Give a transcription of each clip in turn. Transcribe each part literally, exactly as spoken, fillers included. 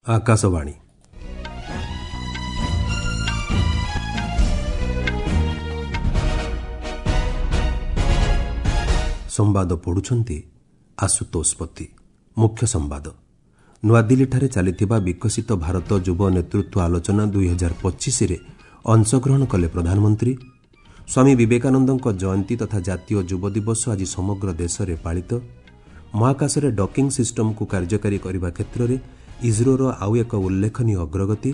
ଆକାଶବାଣୀ। ସମ୍ବାଦ ପଢ଼ୁଛନ୍ତି ଆଶୁତୋଷ ପତି। ମୁଖ୍ୟ ସମ୍ବାଦ। ନୂଆଦିଲ୍ଲୀଠାରେ ଚାଲିଥିବା ବିକଶିତ ଭାରତ ଯୁବ ନେତୃତ୍ୱ ଆଲୋଚନା ଦୁଇହଜାର ପଚିଶରେ ଅଂଶଗ୍ରହଣ କଲେ ପ୍ରଧାନମନ୍ତ୍ରୀ। ସ୍ୱାମୀ ବିବେକାନନ୍ଦଙ୍କ ଜୟନ୍ତୀ ତଥା ଜାତୀୟ ଯୁବ ଦିବସ ଆଜି ସମଗ୍ର ଦେଶରେ ପାଳିତ। ମହାକାଶରେ ଡକିଂ ସିଷ୍ଟମକୁ କାର୍ଯ୍ୟକାରୀ କରିବା କ୍ଷେତ୍ରରେ ଇସ୍ରୋର ଆଉ ଏକ ଉଲ୍ଲେଖନୀୟ ଅଗ୍ରଗତି।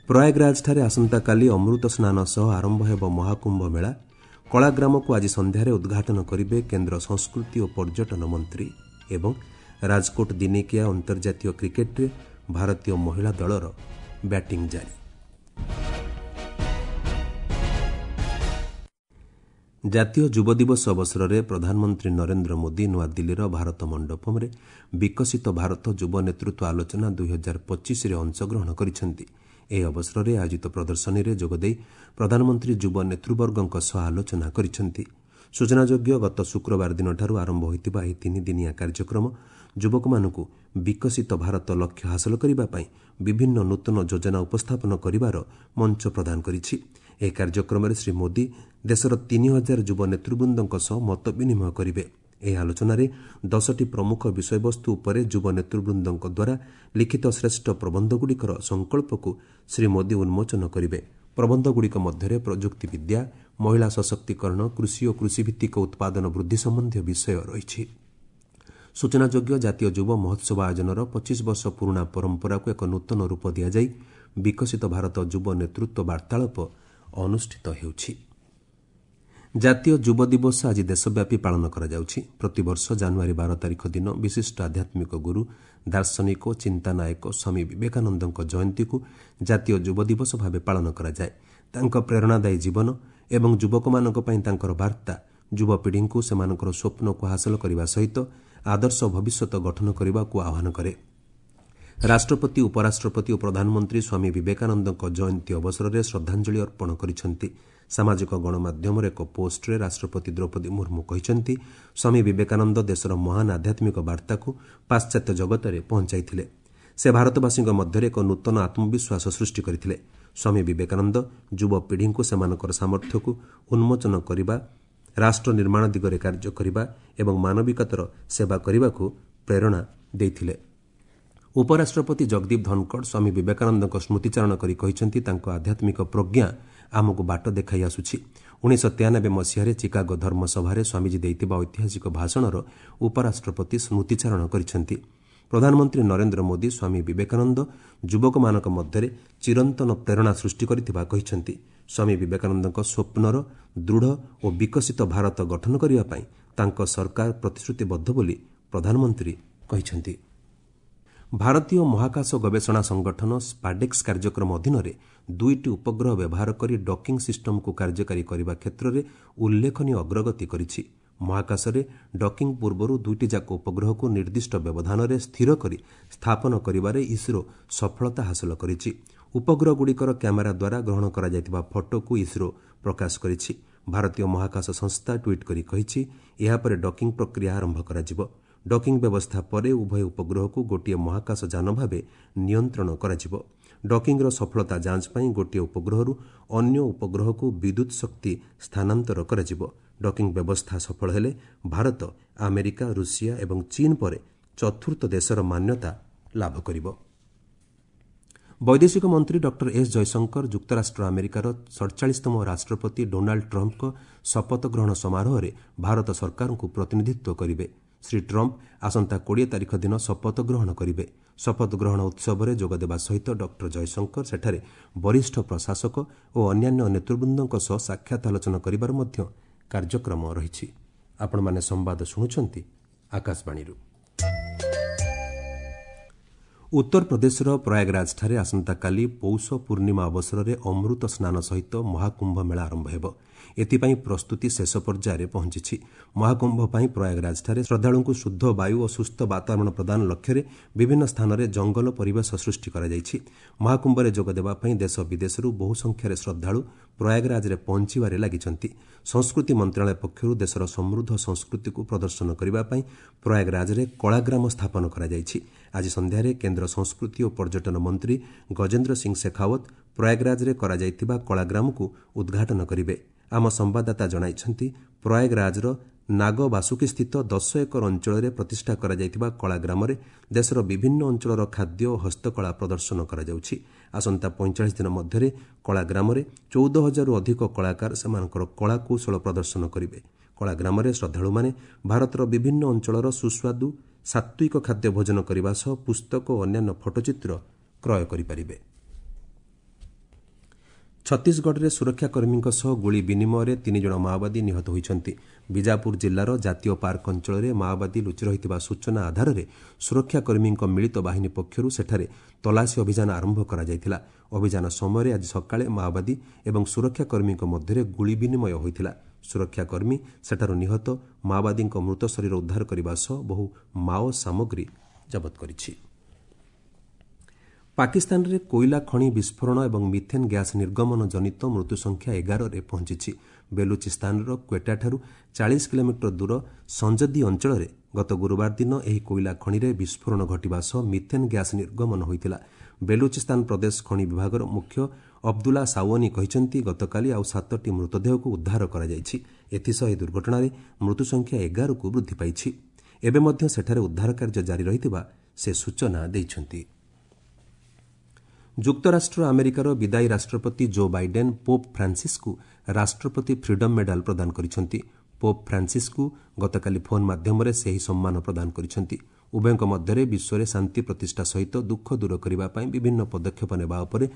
ପ୍ରୟାଗରାଜଠାରେ ଆସନ୍ତାକାଲି ଅମୃତ ସ୍ନାନ ସହ ଆରମ୍ଭ ହେବ ମହାକୁମ୍ଭ ମେଳା। କଳାଗ୍ରାମକୁ ଆଜି ସନ୍ଧ୍ୟାରେ ଉଦ୍ଘାଟନ କରିବେ କେନ୍ଦ୍ର ସଂସ୍କୃତି ଓ ପର୍ଯ୍ୟଟନ ମନ୍ତ୍ରୀ। ଏବଂ ରାଜକୋଟ ଦିନିକିଆ ଅନ୍ତର୍ଜାତୀୟ କ୍ରିକେଟ୍ରେ ଭାରତୀୟ ମହିଳା ଦଳର ବ୍ୟାଟିଂ ଜାରି। ଜାତୀୟ ଯୁବ ଦିବସ ଅବସରରେ ପ୍ରଧାନମନ୍ତ୍ରୀ ନରେନ୍ଦ୍ର ମୋଦି ନୂଆଦିଲ୍ଲୀର ଭାରତ ମଣ୍ଡପମ୍ରେ ବିକଶିତ ଭାରତ ଯୁବ ନେତୃତ୍ୱ ଆଲୋଚନା ଦୁଇହଜାର ପଚିଶରେ ଅଂଶଗ୍ରହଣ କରିଛନ୍ତି। ଏହି ଅବସରରେ ଆୟୋଜିତ ପ୍ରଦର୍ଶନୀରେ ଯୋଗଦେଇ ପ୍ରଧାନମନ୍ତ୍ରୀ ଯୁବ ନେତୃବର୍ଗଙ୍କ ସହ ଆଲୋଚନା କରିଛନ୍ତି। ସୂଚନାଯୋଗ୍ୟ, ଗତ ଶୁକ୍ରବାର ଦିନଠାରୁ ଆରମ୍ଭ ହୋଇଥିବା ଏହି ତିନିଦିନିଆ କାର୍ଯ୍ୟକ୍ରମ ଯୁବକମାନଙ୍କୁ ବିକଶିତ ଭାରତ ଲକ୍ଷ୍ୟ ହାସଲ କରିବା ପାଇଁ ବିଭିନ୍ନ ନୂତନ ଯୋଜନା ଉପସ୍ଥାପନ କରିବାର ମଞ୍ଚ ପ୍ରଦାନ କରିଛି। ଏହି କାର୍ଯ୍ୟକ୍ରମରେ ଶ୍ରୀ ମୋଦି ଦେଶର ତିନି ହଜାର ଯୁବ ନେତୃବୃନ୍ଦଙ୍କ ସହ ମତ ବିନିମୟ କରିବେ। ଏହି ଆଲୋଚନାରେ ଦଶଟି ପ୍ରମୁଖ ବିଷୟବସ୍ତୁ ଉପରେ ଯୁବ ନେତୃବୃନ୍ଦଙ୍କ ଦ୍ୱାରା ଲିଖିତ ଶ୍ରେଷ୍ଠ ପ୍ରବନ୍ଧଗୁଡ଼ିକର ସଂକଳ୍ପକୁ ଶ୍ରୀ ମୋଦି ଉନ୍ମୋଚନ କରିବେ। ପ୍ରବନ୍ଧଗୁଡ଼ିକ ମଧ୍ୟରେ ପ୍ରଯୁକ୍ତିବିଦ୍ୟା, ମହିଳା ସଶକ୍ତିକରଣ, କୃଷି ଓ କୃଷିଭିତ୍ତିକ ଉତ୍ପାଦନ ବୃଦ୍ଧି ସମ୍ବନ୍ଧୀୟ ବିଷୟ ରହିଛି। ସୂଚନାଯୋଗ୍ୟ, ଜାତୀୟ ଯୁବ ମହୋତ୍ସବ ଆୟୋଜନର ପଚିଶ ବର୍ଷ ପୁରୁଣା ପରମ୍ପରାକୁ ଏକ ନୂତନ ରୂପ ଦିଆଯାଇ ବିକଶିତ ଭାରତ ଯୁବ ନେତୃତ୍ୱ ବାର୍ତ୍ତାଳାପ ଅନୁଷ୍ଠିତ ହେଉଛି। ଜାତୀୟ ଯୁବ ଦିବସ ଆଜି ଦେଶବ୍ୟାପୀ ପାଳନ କରାଯାଉଛି। ପ୍ରତିବର୍ଷ ଜାନୁଆରୀ ବାର ତାରିଖ ଦିନ ବିଶିଷ୍ଟ ଆଧ୍ୟାତ୍ମିକ ଗୁରୁ, ଦାର୍ଶନିକ ଓ ଚିନ୍ତାନାୟକ ସ୍ୱାମୀ ବିବେକାନନ୍ଦଙ୍କ ଜୟନ୍ତୀକୁ ଜାତୀୟ ଯୁବ ଦିବସ ଭାବେ ପାଳନ କରାଯାଏ। ତାଙ୍କ ପ୍ରେରଣାଦାୟୀ ଜୀବନ ଏବଂ ଯୁବକମାନଙ୍କ ପାଇଁ ତାଙ୍କର ବାର୍ତ୍ତା ଯୁବପିଢ଼ିଙ୍କୁ ସେମାନଙ୍କର ସ୍ୱପ୍ନକୁ ହାସଲ କରିବା ସହିତ ଆଦର୍ଶ ଭବିଷ୍ୟତ ଗଠନ କରିବାକୁ ଆହ୍ୱାନ କରେ। ରାଷ୍ଟ୍ରପତି, ଉପରାଷ୍ଟ୍ରପତି ଓ ପ୍ରଧାନମନ୍ତ୍ରୀ ସ୍ୱାମୀ ବିବେକାନନ୍ଦଙ୍କ ଜୟନ୍ତୀ ଅବସରରେ ଶ୍ରଦ୍ଧାଞ୍ଜଳି ଅର୍ପଣ କରିଛନ୍ତି। ସାମାଜିକ ଗଣମାଧ୍ୟମର ଏକ ପୋଷ୍ଟରେ ରାଷ୍ଟ୍ରପତି ଦ୍ରୌପଦୀ ମୁର୍ମୁ କହିଛନ୍ତି, ସ୍ୱାମୀ ବିବେକାନନ୍ଦ ଦେଶର ମହାନ ଆଧ୍ୟାତ୍ମିକ ବାର୍ତ୍ତାକୁ ପାଶ୍ଚାତ୍ୟ ଜଗତରେ ପହଞ୍ଚାଇଥିଲେ। ସେ ଭାରତବାସୀଙ୍କ ମଧ୍ୟରେ ଏକ ନୂତନ ଆତ୍ମବିଶ୍ୱାସ ସୃଷ୍ଟି କରିଥିଲେ। ସ୍ୱାମୀ ବିବେକାନନ୍ଦ ଯୁବପିଢ଼ିଙ୍କୁ ସେମାନଙ୍କର ସାମର୍ଥ୍ୟକୁ ଉନ୍ମୋଚନ କରିବା, ରାଷ୍ଟ୍ର ନିର୍ମାଣ ଦିଗରେ କାର୍ଯ୍ୟ କରିବା ଏବଂ ମାନବିକତାର ସେବା କରିବାକୁ ପ୍ରେରଣା ଦେଇଥିଲେ। ଉପରାଷ୍ଟ୍ରପତି ଜଗଦୀପ ଧନଖଡ଼ ସ୍ୱାମୀ ବିବେକାନନ୍ଦଙ୍କ ସ୍ମୃତିଚାରଣ କରି କହିଛନ୍ତି, ତାଙ୍କ ଆଧ୍ୟାତ୍ମିକ ପ୍ରଜ୍ଞା ଆମକୁ ବାଟ ଦେଖାଇ ଆସୁଛି। ଉଣେଇଶହ ତେୟାନବେ ମସିହାରେ ଚିକାଗୋ ଧର୍ମସଭାରେ ସ୍ୱାମୀଜୀ ଦେଇଥିବା ଐତିହାସିକ ଭାଷଣର ଉପରାଷ୍ଟ୍ରପତି ସ୍ମୃତିଚାରଣ କରିଛନ୍ତି। ପ୍ରଧାନମନ୍ତ୍ରୀ ନରେନ୍ଦ୍ର ମୋଦି ସ୍ୱାମୀ ବିବେକାନନ୍ଦ ଯୁବକମାନଙ୍କ ମଧ୍ୟରେ ଚିରନ୍ତନ ପ୍ରେରଣା ସୃଷ୍ଟି କରିଥିବା କହିଛନ୍ତି। ସ୍ୱାମୀ ବିବେକାନନ୍ଦଙ୍କ ସ୍ୱପ୍ନର ଦୃଢ଼ ଓ ବିକଶିତ ଭାରତ ଗଠନ କରିବା ପାଇଁ ତାଙ୍କ ସରକାର ପ୍ରତିଶ୍ରୁତିବଦ୍ଧ ବୋଲି ପ୍ରଧାନମନ୍ତ୍ରୀ କହିଛନ୍ତି। ଭାରତୀୟ ମହାକାଶ ଗବେଷଣା ସଂଗଠନ ସ୍ପାଡେକ୍ସ କାର୍ଯ୍ୟକ୍ରମ ଅଧୀନରେ ଦୁଇଟି ଉପଗ୍ରହ ବ୍ୟବହାର କରି ଡକିଂ ସିଷ୍ଟମକୁ କାର୍ଯ୍ୟକାରୀ କରିବା କ୍ଷେତ୍ରରେ ଉଲ୍ଲେଖନୀୟ ଅଗ୍ରଗତି କରିଛି। ମହାକାଶରେ ଡକିଂ ପୂର୍ବରୁ ଦୁଇଟି ଯାକ ଉପଗ୍ରହକୁ ନିର୍ଦ୍ଦିଷ୍ଟ ବ୍ୟବଧାନରେ ସ୍ଥିର କରି ସ୍ଥାପନ କରିବାରେ ଇସ୍ରୋ ସଫଳତା ହାସଲ କରିଛି। ଉପଗ୍ରହଗୁଡ଼ିକର କ୍ୟାମେରା ଦ୍ୱାରା ଗ୍ରହଣ କରାଯାଇଥିବା ଫଟୋକୁ ଇସ୍ରୋ ପ୍ରକାଶ କରିଛି। ଭାରତୀୟ ମହାକାଶ ସଂସ୍ଥା ଟ୍ୱିଟ୍ କରି କହିଛି, ଏହାପରେ ଡକିଂ ପ୍ରକ୍ରିୟା ଆରମ୍ଭ କରାଯିବ। ଡକିଂ ବ୍ୟବସ୍ଥା ପରେ ଉଭୟ ଉପଗ୍ରହକୁ ଗୋଟିଏ ମହାକାଶ ଯାନ ଭାବେ ନିୟନ୍ତ୍ରଣ କରାଯିବ। ଡକିଂର ସଫଳତା ଯାଞ୍ଚ ପାଇଁ ଗୋଟିଏ ଉପଗ୍ରହରୁ ଅନ୍ୟ ଉପଗ୍ରହକୁ ବିଦ୍ୟୁତ୍ ଶକ୍ତି ସ୍ଥାନାନ୍ତର କରାଯିବ। ଡକିଂ ବ୍ୟବସ୍ଥା ସଫଳ ହେଲେ ଭାରତ ଆମେରିକା, ରୁଷିଆ ଏବଂ ଚୀନ୍ ପରେ ଚତୁର୍ଥ ଦେଶର ମାନ୍ୟତା ଲାଭ କରିବ। ବୈଦେଶିକ ମନ୍ତ୍ରୀ ଡକ୍ଟର ଏସ୍ ଜୟଶଙ୍କର ଯୁକ୍ତରାଷ୍ଟ୍ର ଆମେରିକାର ସଡ଼ଚାଳିଶତମ ରାଷ୍ଟ୍ରପତି ଡୋନାଲ୍ଡ ଟ୍ରମ୍ପଙ୍କ ଶପଥ ଗ୍ରହଣ ସମାରୋହରେ ଭାରତ ସରକାରଙ୍କୁ ପ୍ରତିନିଧିତ୍ୱ କରିବେ। ଶ୍ରୀ ଟ୍ରମ୍ପ ଆସନ୍ତା କୋଡ଼ିଏ ତାରିଖ ଦିନ ଶପଥ ଗ୍ରହଣ କରିବେ। ଶପଥ ଗ୍ରହଣ ଉତ୍ସବରେ ଯୋଗଦେବା ସହିତ ଡକ୍ଟର ଜୟଶଙ୍କର ସେଠାରେ ବରିଷ୍ଠ ପ୍ରଶାସକ ଓ ଅନ୍ୟାନ୍ୟ ନେତୃବୃନ୍ଦଙ୍କ ସହ ସାକ୍ଷାତ ଆଲୋଚନା କରିବାର ମଧ୍ୟ କାର୍ଯ୍ୟକ୍ରମ ରହିଛି। ଆପଣମାନେ ସମ୍ବାଦ ଶୁଣୁଛନ୍ତି ଆକାଶବାଣୀରୁ। ଉତ୍ତରପ୍ରଦେଶର ପ୍ରୟାଗରାଜଠାରେ ଆସନ୍ତାକାଲି ପୌଷ ପୂର୍ଣ୍ଣିମା ଅବସରରେ ଅମୃତ ସ୍ନାନ ସହିତ ମହାକୁମ୍ଭ ମେଳା ଆରମ୍ଭ ହେବ। ଏଥିପାଇଁ ପ୍ରସ୍ତୁତି ଶେଷ ପର୍ଯ୍ୟାୟରେ ପହଞ୍ଚିଛି। ମହାକୁମ୍ଭ ପାଇଁ ପ୍ରୟାଗରାଜଠାରେ ଶ୍ରଦ୍ଧାଳୁଙ୍କୁ ଶୁଦ୍ଧ ବାୟୁ ଓ ସୁସ୍ଥ ବାତାବରଣ ପ୍ରଦାନ ଲକ୍ଷ୍ୟରେ ବିଭିନ୍ନ ସ୍ଥାନରେ ଜଙ୍ଗଲ ପରିବେଶ ସୃଷ୍ଟି କରାଯାଇଛି। ମହାକୁମ୍ଭରେ ଯୋଗଦେବା ପାଇଁ ଦେଶ ବିଦେଶରୁ ବହୁ ସଂଖ୍ୟାରେ ଶ୍ରଦ୍ଧାଳୁ ପ୍ରୟାଗରାଜରେ ପହଞ୍ଚିବାରେ ଲାଗିଛନ୍ତି। ସଂସ୍କୃତି ମନ୍ତ୍ରଣାଳୟ ପକ୍ଷରୁ ଦେଶର ସମୃଦ୍ଧ ସଂସ୍କୃତିକୁ ପ୍ରଦର୍ଶନ କରିବା ପାଇଁ ପ୍ରୟାଗରାଜରେ କଳାଗ୍ରାମ ସ୍ଥାପନ କରାଯାଇଛି। ଆଜି ସନ୍ଧ୍ୟାରେ କେନ୍ଦ୍ର ସଂସ୍କୃତି ଓ ପର୍ଯ୍ୟଟନ ମନ୍ତ୍ରୀ ଗଜେନ୍ଦ୍ର ସିଂ ଶେଖାଓ୍ୱତ ପ୍ରୟାଗରାଜରେ କରାଯାଇଥିବା କଳାଗ୍ରାମକୁ ଉଦ୍ଘାଟନ କରିବେ। ଆମ ସମ୍ବାଦଦାତା ଜଣାଇଛନ୍ତି, ପ୍ରୟାଗରାଜର ନାଗବାସୁକୀସ୍ଥିତ ଦଶ ଏକର ଅଞ୍ଚଳରେ ପ୍ରତିଷ୍ଠା କରାଯାଇଥିବା କଳାଗ୍ରାମରେ ଦେଶର ବିଭିନ୍ନ ଅଞ୍ଚଳର ଖାଦ୍ୟ ଓ ହସ୍ତକଳା ପ୍ରଦର୍ଶନ କରାଯାଉଛି। ଆସନ୍ତା ପଇଁଚାଳିଶ ଦିନ ମଧ୍ୟରେ କଳାଗ୍ରାମରେ ଚଉଦ ହଜାରରୁ ଅଧିକ କଳାକାର ସେମାନଙ୍କର କଳାକୌଶଳ ପ୍ରଦର୍ଶନ କରିବେ। କଳାଗ୍ରାମରେ ଶ୍ରଦ୍ଧାଳୁମାନେ ଭାରତର ବିଭିନ୍ନ ଅଞ୍ଚଳର ସୁସ୍ୱାଦୁ ସାତ୍ତ୍ୱିକ ଖାଦ୍ୟ ଭୋଜନ କରିବା ସହ ପୁସ୍ତକ ଓ ଅନ୍ୟାନ୍ୟ ଫଟୋଚିତ୍ର କ୍ରୟ କରିପାରିବେ। ଛତିଶଗଡ଼ରେ ସୁରକ୍ଷାକର୍ମୀଙ୍କ ସହ ଗୁଳି ବିନିମୟରେ ତିନି ଜଣ ମାଓବାଦୀ ନିହତ ହୋଇଛନ୍ତି। ବିଜାପୁର ଜିଲ୍ଲାର ଜାତୀୟ ପାର୍କ ଅଞ୍ଚଳରେ ମାଓବାଦୀ ଲୁଚି ରହିଥିବା ସୂଚନା ଆଧାରରେ ସୁରକ୍ଷାକର୍ମୀଙ୍କ ମିଳିତ ବାହିନୀ ପକ୍ଷରୁ ସେଠାରେ ତଲାସୀ ଅଭିଯାନ ଆରମ୍ଭ କରାଯାଇଥିଲା। ଅଭିଯାନ ସମୟରେ ଆଜି ସକାଳେ ମାଓବାଦୀ ଏବଂ ସୁରକ୍ଷାକର୍ମୀଙ୍କ ମଧ୍ୟରେ ଗୁଳି ବିନିମୟ ହୋଇଥିଲା। ସୁରକ୍ଷାକର୍ମୀ ସେଠାରୁ ନିହତ ମାଓବାଦୀଙ୍କ ମୃତ ଶରୀର ଉଦ୍ଧାର କରିବା ସହ ବହୁ ମାଓ ସାମଗ୍ରୀ ଜବତ କରିଛି। ପାକିସ୍ତାନରେ କୋଇଲା ଖଣି ବିସ୍ଫୋରଣ ଏବଂ ମିଥେନ୍ ଗ୍ୟାସ୍ ନିର୍ଗମନ ଜନିତ ମୃତ୍ୟୁ ସଂଖ୍ୟା ଏଗାରରେ ପହଞ୍ଚିଛି। ବେଲୁଚିସ୍ତାନର କ୍ୱେଟାଠାରୁ ଚାଳିଶ କିଲୋମିଟର ଦୂର ସଞ୍ଜଦି ଅଞ୍ଚଳରେ ଗତ ଗୁରୁବାର ଦିନ ଏହି କୋଇଲା ଖଣିରେ ବିସ୍ଫୋରଣ ଘଟିବା ସହ ମିଥେନ୍ ଗ୍ୟାସ୍ ନିର୍ଗମନ ହୋଇଥିଲା। ବେଲୁଚିସ୍ତାନ ପ୍ରଦେଶ ଖଣି ବିଭାଗର ମୁଖ୍ୟ ଅବଦୁଲ୍ଲା ସାୱନି କହିଛନ୍ତି, ଗତକାଲି ଆଉ ସାତଟି ମୃତଦେହକୁ ଉଦ୍ଧାର କରାଯାଇଛି। ଏଥିସହ ଏହି ଦୁର୍ଘଟଣାରେ ମୃତ୍ୟୁ ସଂଖ୍ୟା ଏଗାରକୁ ବୃଦ୍ଧି ପାଇଛି। ଏବେ ମଧ୍ୟ ସେଠାରେ ଉଦ୍ଧାର କାର୍ଯ୍ୟ ଜାରି ରହିଥିବା ସେ ସୂଚନା ଦେଇଛନ୍ତି। ଯୁକ୍ତରାଷ୍ଟ୍ର ଆମେରିକାର ବିଦାୟୀ ରାଷ୍ଟ୍ରପତି ଜୋ ବାଇଡେନ୍ ପୋପ୍ ଫ୍ରାନ୍ସିସ୍କୁ ରାଷ୍ଟ୍ରପତି ଫ୍ରିଡମ୍ ମେଡାଲ ପ୍ରଦାନ କରିଛନ୍ତି। ପୋପ୍ ଫ୍ରାନ୍ସିସ୍କୁ ଗତକାଲି ଫୋନ୍ ମାଧ୍ୟମରେ ସେ ଏହି ସମ୍ମାନ ପ୍ରଦାନ କରିଛନ୍ତି। ଉଭୟଙ୍କ ମଧ୍ୟରେ ବିଶ୍ୱରେ ଶାନ୍ତି ପ୍ରତିଷ୍ଠା ସହିତ ଦୁଃଖ ଦୂର କରିବା ପାଇଁ ବିଭିନ୍ନ ପଦକ୍ଷେପ ନେବା ଉପରେ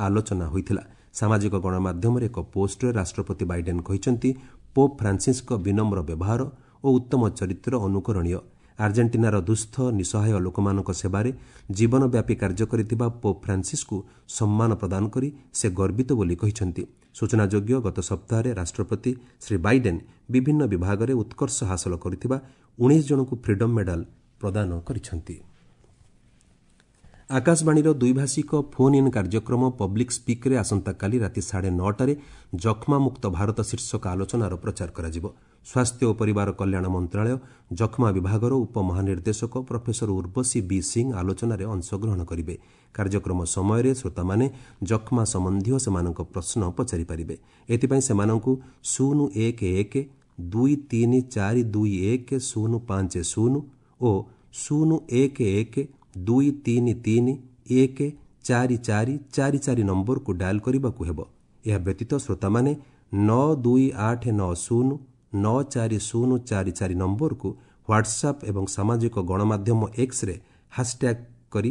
ଆଲୋଚନା ହୋଇଥିଲା। ସାମାଜିକ ଗଣମାଧ୍ୟମରେ ଏକ ପୋଷ୍ଟରେ ରାଷ୍ଟ୍ରପତି ବାଇଡେନ୍ କହିଛନ୍ତି, ପୋପ୍ ଫ୍ରାନ୍ସିସ୍ଙ୍କ ବିନମ୍ର ବ୍ୟବହାର ଓ ଉତ୍ତମ ଚରିତ୍ର ଅନୁକରଣୀୟ। ଆର୍ଜେଣ୍ଟିନାର ଦୁଃସ୍ଥ ନିଃସହାୟ ଲୋକମାନଙ୍କ ସେବାରେ ଜୀବନବ୍ୟାପୀ କାର୍ଯ୍ୟ କରିଥିବା ପୋପ୍ ଫ୍ରାନ୍ସିସ୍କୁ ସମ୍ମାନ ପ୍ରଦାନ କରି ସେ ଗର୍ବିତ ବୋଲି କହିଛନ୍ତି। ସୂଚନାଯୋଗ୍ୟ, ଗତ ସପ୍ତାହରେ ରାଷ୍ଟ୍ରପତି ଶ୍ରୀ ବାଇଡେନ୍ ବିଭିନ୍ନ ବିଭାଗରେ ଉତ୍କର୍ଷ ହାସଲ କରିଥିବା ଉଣେଇଶ ଜଣଙ୍କୁ ଫ୍ରିଡମ୍ ମେଡାଲ ପ୍ରଦାନ କରିଛନ୍ତି। ଆକାଶବାଣୀର ଦ୍ୱିଭାଷିକ ଫୋନ୍ ଇନ୍ କାର୍ଯ୍ୟକ୍ରମ ପବ୍ଲିକ୍ ସ୍ପିକ୍ରେ ଆସନ୍ତାକାଲି ରାତି ସାଢ଼େ ନଅଟାରେ ଯକ୍ଷ୍ମାମୁକ୍ତ ଭାରତ ଶୀର୍ଷକ ଆଲୋଚନାର ପ୍ରଚାର କରାଯିବ। ସ୍ୱାସ୍ଥ୍ୟ ଓ ପରିବାର କଲ୍ୟାଣ ମନ୍ତ୍ରଣାଳୟ ଯକ୍ଷ୍ମା ବିଭାଗର ଉପମହାନିର୍ଦ୍ଦେଶକ ପ୍ରଫେସର ଉର୍ବଶୀ ବି ସିଂ ଆଲୋଚନାରେ ଅଂଶଗ୍ରହଣ କରିବେ। କାର୍ଯ୍ୟକ୍ରମ ସମୟରେ ଶ୍ରୋତାମାନେ ଯକ୍ଷ୍ମା ସମ୍ବନ୍ଧୀୟ ସେମାନଙ୍କ ପ୍ରଶ୍ନ ପଚାରିପାରିବେ। ଏଥିପାଇଁ ସେମାନଙ୍କୁ ଶୂନ ଏକ ଏକ ଦୁଇ ତିନି ଚାରି ଦୁଇ ଏକ ଶୂନ ପାଞ୍ଚ ଶୂନ ଓ ଶୂନ ଏକ ଏକ ଦୁଇ ତିନି ତିନି ଏକ ଚାରି ଚାରି ଚାରି ଚାରି ନମ୍ବରକୁ ଡାଏଲ୍ କରିବାକୁ ହେବ। ଏହା ବ୍ୟତୀତ ଶ୍ରୋତାମାନେ ନଅ ଦୁଇ ଆଠ ନଅ ଶୂନ ନଅ ଚାରି ଶୂନ ଚାରି ଚାରି ନମ୍ବରକୁ ହ୍ୱାଟ୍ସଆପ୍ ଏବଂ ସାମାଜିକ ଗଣମାଧ୍ୟମ ଏକ୍ସରେ ହ୍ୟାସ୍ଟ୍ୟାଗ୍ କରି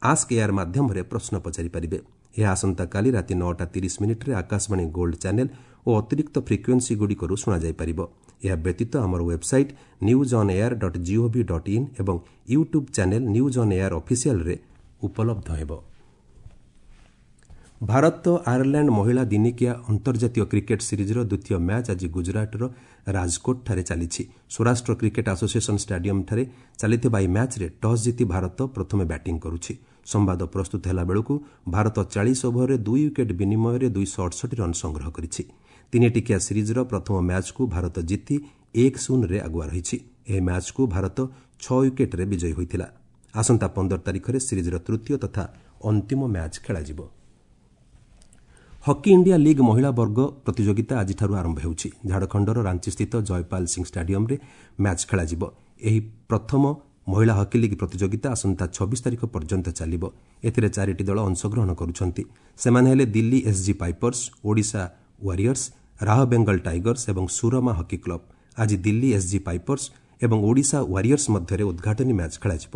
ଆସ୍କ ଏୟାର ମାଧ୍ୟମରେ ପ୍ରଶ୍ନ ପଚାରିପାରିବେ। ଏହା ଆସନ୍ତାକାଲି ରାତି ନଅଟା ତିରିଶ ମିନିଟ୍ରେ ଆକାଶବାଣୀ ଗୋଲ୍ଡ ଚ୍ୟାନେଲ୍ ଓ ଅତିରିକ୍ତ ଫ୍ରିକ୍ୱେନ୍ସିଗୁଡ଼ିକରୁ ଶୁଣାଯାଇପାରିବ। ଏହା ବ୍ୟତୀତ ଆମର website news on air dot gov dot in ଏବଂ YouTube channel news on air ଅଫିସିଆଲ୍ରେ ଉପଲବ୍ଧ ହେବ। ଭାରତ ଆୟାରଲ୍ୟାଣ୍ଡ ମହିଳା ଦିନିକିଆ ଅନ୍ତର୍ଜାତୀୟ କ୍ରିକେଟ୍ ସିରିଜ୍ର ଦ୍ୱିତୀୟ ମ୍ୟାଚ୍ ଆଜି ଗୁଜରାଟର ରାଜକୋଟଠାରେ ଚାଲିଛି। ସ୍ୱରାଷ୍ଟ୍ର କ୍ରିକେଟ୍ ଆସୋସିଏସନ୍ ଷ୍ଟାଡିୟମ୍ଠାରେ ଚାଲିଥିବା ଏହି ମ୍ୟାଚ୍ରେ ଟସ୍ ଜିତି ଭାରତ ପ୍ରଥମେ ବ୍ୟାଟିଂ କରୁଛି। ସମ୍ବାଦ ପ୍ରସ୍ତୁତ ହେଲା ବେଳକୁ ଭାରତ ଚାଳିଶ ଓଭରରେ ଦୁଇ ୱିକେଟ୍ ବିନିମୟରେ ଦୁଇଶହ ଅଠଷଠି ରନ୍ ସଂଗ୍ରହ କରିଛି। ତିନିଟିକିଆ ସିରିଜ୍ର ପ୍ରଥମ ମ୍ୟାଚ୍କୁ ଭାରତ ଜିତି ଏକ ଶୂନରେ ଆଗୁଆ ରହିଛି। ଏହି ମ୍ୟାଚ୍କୁ ଭାରତ ଛଅ ୱିକେଟ୍ରେ ବିଜୟୀ ହୋଇଥିଲା। ଆସନ୍ତା ପନ୍ଦର ତାରିଖରେ ସିରିଜ୍ର ତୃତୀୟ ତଥା ଅନ୍ତିମ ମ୍ୟାଚ୍ ଖେଳାଯିବ। ହକି ଇଣ୍ଡିଆ ଲିଗ୍ ମହିଳା ବର୍ଗ ପ୍ରତିଯୋଗିତା ଆଜିଠାରୁ ଆରମ୍ଭ ହେଉଛି। ଝାଡ଼ଖଣ୍ଡର ରାଞ୍ଚିସ୍ଥିତ ଜୟପାଲ ସିଂ ଷ୍ଟାଡିୟମ୍ରେ ମ୍ୟାଚ୍ ଖେଳାଯିବ। ଏହି ପ୍ରଥମ ମହିଳା ହକି ଲିଗ୍ ପ୍ରତିଯୋଗିତା ଆସନ୍ତା ଛବିଶ ତାରିଖ ପର୍ଯ୍ୟନ୍ତ ଚାଲିବ। ଏଥିରେ ଚାରିଟି ଦଳ ଅଂଶଗ୍ରହଣ କରୁଛନ୍ତି। ସେମାନେ ହେଲେ Delhi SG pipers, Odisha warriors, Rarh Bengal tigers ଏବଂ ସୁରମା ହକି କ୍ଲବ୍। ଆଜି ଦିଲ୍ଲୀ ଏସ୍ଜି ପାଇପର୍ସ ଏବଂ ଓଡ଼ିଶା ୱାରିୟର୍ସ ମଧ୍ୟରେ ଉଦ୍ଘାଟନୀ ମ୍ୟାଚ୍ ଖେଳାଯିବ।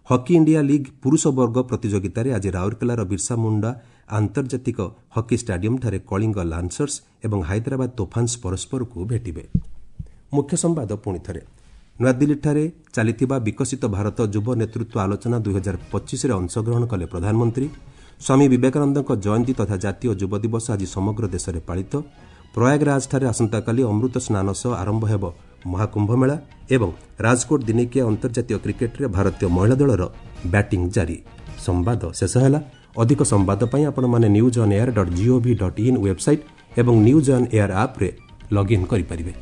ହକି ଇଣ୍ଡିଆ ଲିଗ୍ ପୁରୁଷ ବର୍ଗ ପ୍ରତିଯୋଗିତାରେ ଆଜି ରାଉରକେଲାର ବିର୍ସା ମୁଣ୍ଡା ଆନ୍ତର୍ଜାତିକ ହକି ଷ୍ଟାଡିୟମ୍ଠାରେ କଳିଙ୍ଗ ଲାନ୍ସର୍ସ ଏବଂ ହାଇଦ୍ରାବାଦ ତୋଫାନ୍ସ ପରସ୍ପରକୁ ଭେଟିବେ। ମୁଖ୍ୟ ସମ୍ବାଦ ପୁଣି ଥରେ। ନୂଆଦିଲ୍ଲୀଠାରେ ଚାଲିଥିବା ବିକଶିତ ଭାରତ ଯୁବ ନେତୃତ୍ୱ ଆଲୋଚନା ଦୁଇହଜାର ପଚିଶରେ ଅଂଶଗ୍ରହଣ କଲେ ପ୍ରଧାନମନ୍ତ୍ରୀ। ସ୍ୱାମୀ ବିବେକାନନ୍ଦଙ୍କ ଜୟନ୍ତୀ ତଥା ଜାତୀୟ ଯୁବ ଦିବସ ଆଜି ସମଗ୍ର ଦେଶରେ ପାଳିତ। ପ୍ରୟାଗରାଜଠାରେ ଆସନ୍ତାକାଲି ଅମୃତ ସ୍ନାନ ସହ ଆରମ୍ଭ ହେବ ମହାକୁମ୍ଭମେଳା ଏବଂ ରାଜକୋଟ ଦିନିକିଆ ଅନ୍ତର୍ଜାତୀୟ କ୍ରିକେଟ୍ରେ ଭାରତୀୟ ମହିଳା ଦଳର ବ୍ୟାଟିଂ ଜାରି। ସମ୍ବାଦ ଶେଷ ହେଲା। ଅଧିକ ସମ୍ବାଦ ପାଇଁ ଆପଣମାନେ news on air dot gov dot in website ଏବଂ ନ୍ୟୁଜ୍ ଅନ୍ ଏୟାର ଆପ୍ରେ ଲଗ୍ଇନ୍ କରିପାରିବେ।